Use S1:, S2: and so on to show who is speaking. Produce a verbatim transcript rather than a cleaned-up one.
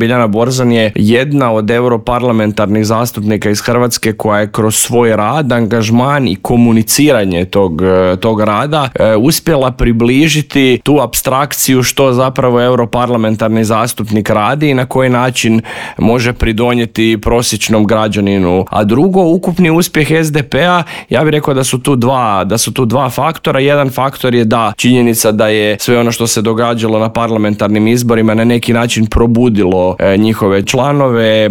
S1: Biljana Borzan je jedna od europarlamentarnih zastupnika iz Hrvatske koja je kroz svoj rad, angažman i komuniciranje tog, tog rada e, uspjela približiti tu apstrakciju što zapravo europarlamentarni zastupnik radi i na koji način može pridonijeti prosječnom građaninu. A drugo, ukupni uspjeh es de pe-a, ja bih rekao da su tu dva, da su tu dva faktora. Jedan faktor je da činjenica da je sve ono što se događalo na parlamentarnim izborima na neki način probudilo e, njihove članove,